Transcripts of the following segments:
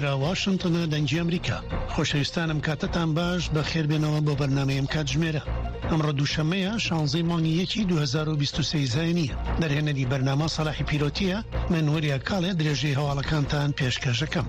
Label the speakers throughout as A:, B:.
A: ئێرە واشنتنە دەنگی ئەمریکا. خۆشەویستانم کاتتان باش بەخێر بێنەوە بۆ بەرنامەی ئەم کاتژمێرە. ئەمڕۆ دووشەممەیە شانزەی مانگی یەکی 2023 زایینیە. دەرهێنەری بەرنامە سەلاحی پیرۆتیە، من وریا کاڵێ درێژەی هەواڵەکانتان پێشکەش ئەکەم.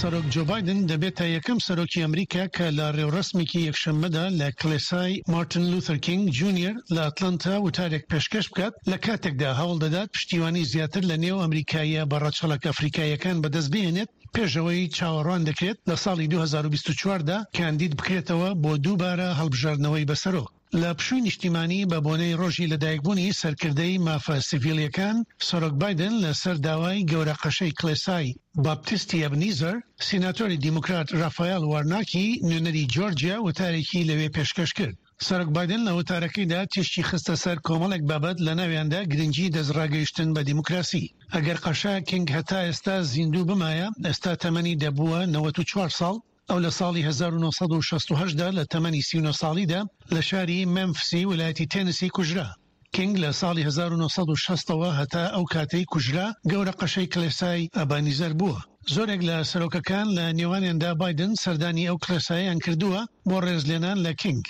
A: سەرۆک جۆ بایدن دەبێتە یەکەم سەرۆکی ئەمریکا کە لە ڕێوڕەسمێکی یەکشەممەدا لە کڵێسای مارتن لوتەر کینگ جونیەر لە ئەتلەنتا وتارێک پێشکەش بکات لە کاتێکدا هەوڵ دەدات پشتیوانی زیاتر لە نێو ئەمریکاییە بە ڕەچەڵەک ئەفریکاییەکان بەدەست بهێنێت پێش ئەوەی چاوەڕوان دەکرێت لە ساڵی 2024 دا کاندید بکرێتەوە بۆ دووبارە هەڵبژاردنەوەی بە سەرۆک. لە پشووی نیشتیمانی بە بۆنەی ڕۆژی لەدایکبوونی سەرکردەی مافە سیڤیلییەکان، سەرۆک بایدن لە سەر داوای گەورە قەشەی کڵێسای باپتستی ئەبنیزەر، سیناتۆری دیموکرات ڕافایێل وارناکی نوێنەری جۆرجیا وتارێکی لەوێ پێشکەش کرد. سەرۆک بایدن لە وتارەکەیدا تیشکی خستە سەر کۆمەڵێک بابەت لەناویاندا گرنگی دەستڕاگەیشتن بە دیموکراسی. ئەگەر قەشە کینگ هەتا ئێستا زیندوو بمایە، ئێستا تەمەنی دەبووە 94 ساڵ. ئەو لە ساڵی 1968 دا لە تەمەنی 39 ساڵیدا لە شاری مێمفسی ویلایەتی تێنسی کوژرا. کینگ لە ساڵی 1960 ەوە هەتا ئەو کاتەی کوژرا گەورە قەشەی کڵێسای ئەبانیزەر بووە. زۆرێک لە سەرۆکەکان لە نێوانیاندا بایدن سەردانی ئەو کڵێسایەیان کردووە بۆ ڕێزلێنان لە کینگ،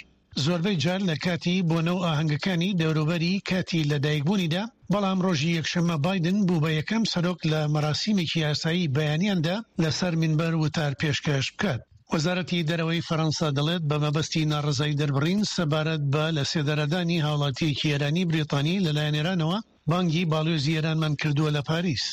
A: زۆربەی جار لە کاتی بۆنە و ئاهەنگەکانی دەوروبەری کاتی لەدایکبوونیدا، بەڵام ڕۆژی یەکشەممە بایدن بوو بە یەکەم سەرۆک لە مەراسیمێکی ئاسایی بەیانیاندا لەسەر مینبەر وتار پێشکەش بکات. وەزارەتی دەرەوەی فەرەنسا دەڵێت بە مەبەستی ناڕەزایی دەربڕین سەبارەت بە لەسێدارەدانی هاوڵاتییەکی ئێرانی بریتانی لەلایەن ئێرانەوە بانگی باڵیۆزی ئێرانمان کردووە لە پاریس.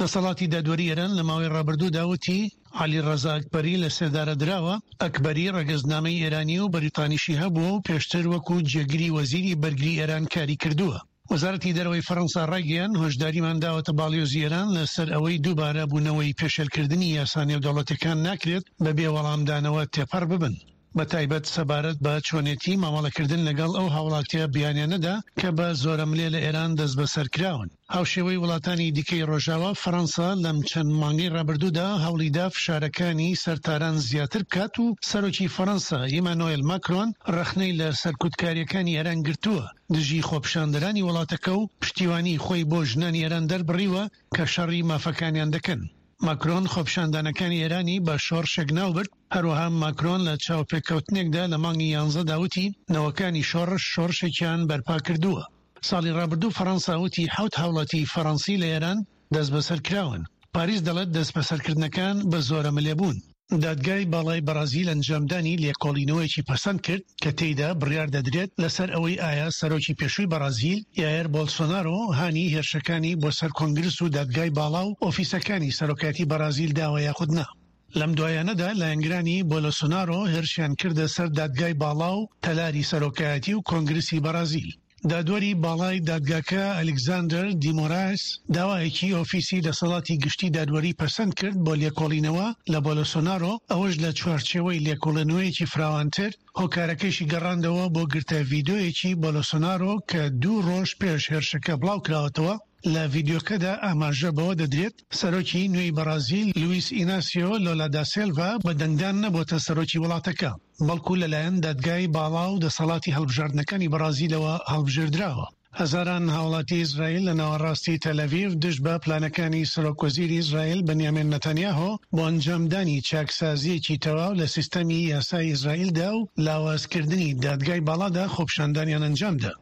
A: دەسەڵاتی دادوەری ئێران لە ماوەی ڕابردوودا وتی عەلی ڕەزا ئەکبەری لە سێدارە دراوە، ئەکبەری ڕەگەزنامەی ئێرانی و بەریتانیشی هەبووە و پێشتر وەکو جێگری وەزیری بەرگری ئێران کاری کردووە. وەزارەتی دەرەوەی فەرەنسا ڕایگەیاند، هۆشداریمان داوەتە باڵیۆزی ئێران لەسەر ئەوەی دووبارە بوونەوەی پێشێلکردنی یاسا نێودەوڵەتیەکان ناکرێت بەبێ وەڵامدانەوە تێپەڕ ببن، بەتایبەت سەبارەت بە چۆنێتی مامەڵەکردن لەگەڵ ئەو هاوڵاتیە بیانیانەدا کە بە زۆرەملێ لە ئێران دەستبەسەرکراون. هاوشێوەی وڵاتانی دیکەی ڕۆژاوا، فەرەنسا لەم چەند مانگەی ڕابردوودا هەوڵیدا فشارەکانی سەر تاران زیاتر بکات و سەرۆکی فەرەنسا ئیمانۆێل ماکرۆن ڕەخنەی لە سەرکوتکارییەکانی ئێران گرتووە دژی خۆپیشاندەرانی وڵاتەکە و پشتیوانیی خۆی بۆ ژنانی ئێران دەربڕیوە کە شەڕی مافەکانیان دەکەن. ماکرۆن خۆپیشاندانەکانی ئێرانی بە شۆڕشێک ناوبرد، هەروەها ماکرۆن لە چاوپێکەوتنێکدا لە مانگی یانزەدا وتی، نەوەکانی شۆڕش شۆڕشێکیان بەرپا کردووە. ساڵی ڕابردوو فەڕەنسا وتی حەوت هاوڵاتیی فەڕەنسی لە ئێران دەستبەسەرکراون. پاریس دەڵێت دەستبەسەرکردنەکان بە زۆرەملێ بوون. دادگای باڵای بەڕازیل ئەنجامدانی لێکۆڵینەوەیەکی پەسەند کرد کە تێیدا بڕیار دەدرێت لەسەر ئەوەی ئایا سەرۆکی پێشووی بەڕازیل یایەر بۆلسۆنارۆ هانی هێرشەکانی بۆ سەر کۆنگرس و دادگای باڵا و ئۆفیسەکانی سەرۆکایەتی بەڕازیل داوە یاخود نا. لەم دوایانەدا لایەنگرانی بۆلۆسۆنارۆ هێرشیان کردە سەر دادگای باڵا و تەلاری سەرۆکایەتی و کۆنگرسی بەڕازیل. دادوەری باڵای دادگاکە ئەلیکزاندەر دیمۆرایس داوایەکی ئۆفیسی دەسەڵاتی گشتی دادوەری پەسەند کرد بۆ لێکۆڵینەوە لە بۆلۆسۆنارۆ، ئەوەش لە چوارچێوەی لێکۆڵێنوەیەکی فراوانتر، هۆکارەکەیشی گەڕاندەوە بۆ گرتە ڤیدۆیەکی بۆلۆسۆنارۆ کە دوو ڕۆژ پێش هێرشەکە بڵاوکراوەتەوە. لە ڤیدیۆکەدا ئاماژە بەوە دەدرێت، سەرۆکی نوێی بەڕازیل لویس ئیناسیۆ لۆلا داسێلڤا بە دەنگدان نەبۆتە سەرۆکی وڵاتەکە، بەڵکو لەلایەن دادگای باڵا و دەسەڵاتی هەڵبژاردنەکانی بەڕازیلەوە هەڵبژێردراوە. هەزاران هاوڵاتی ئیسرائیل لە ناوەڕاستی تەلئەڤیڤ دژ بە پلانەکانی سەرۆکوەزیری ئیسرائیل بنیامین نەتانیاهۆ بۆ ئەنجامدانی چاکسازییەکی تەواو لە سیستەمی یاسای ئیسرائیلدا و لاوازکردنی دادگای باڵادا خۆپیشاندانیان ئەنجامدا.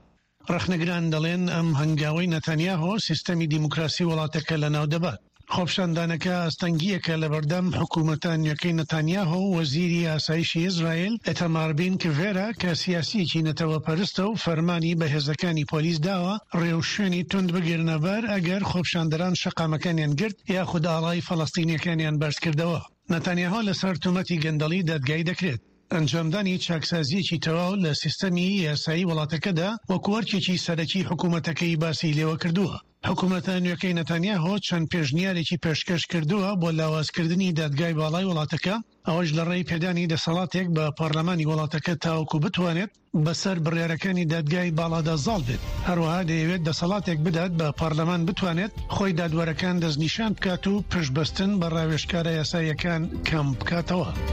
A: ڕەخنەگران دەڵێن ئەم هەنگاوەی نەتانیاهۆ سیستەمی دیموکراسی وڵاتەکە لەناو دەبات. خۆپیشاندانەکە ئاستەنگییەکە لەبەردەم حکومەتە نوێکەی نەتانیاهۆ و وەزیری ئاسایشی ئیسرائیل ئیتامار بین کڤێرە کە سیاسییەکی نەتەوەپەرستە و فەرمانی بە هێزەکانی پۆلیس داوە ڕێوشوێنی توند بگرنەبەر ئەگەر خۆپیشاندەران شەقامەکانیان گرت یاخود ئاڵای فەڵەستینییەکانیان بەرزکردەوە. نەتانیاهۆ لەسەر تۆمەتی گەندەڵی دادگایی دەکرێت. ئەنجامدانی چاکسازییەکی تەواو لە سیستەمی یاسایی وڵاتەکەدا وەکو ئەرکێکی سەرەکی حکومەتەکەی باسی لێوەکردووە. حکومەتە نوێکەی نەتانیاهۆ چەند پێشنیارێکی پێشکەش کردووە بۆ لاوازکردنی دادگای باڵای وڵاتەکە، ئەوەش لەڕێی پێدانی دەسەڵاتێک بە پەرلەمانی وڵاتەکە تاوەکو بتوانێت بەسەر بڕیارەکانی دادگای باڵادا زاڵ بێت، هەروەها دەیەوێت دەسەڵاتێک بدات بە پەرلەمان بتوانێت خۆی دادوەرەکان دەستنیشان بکات و پشتبەستن بە ڕاوێژکارە یاساییەکان کەم بکاتەوە.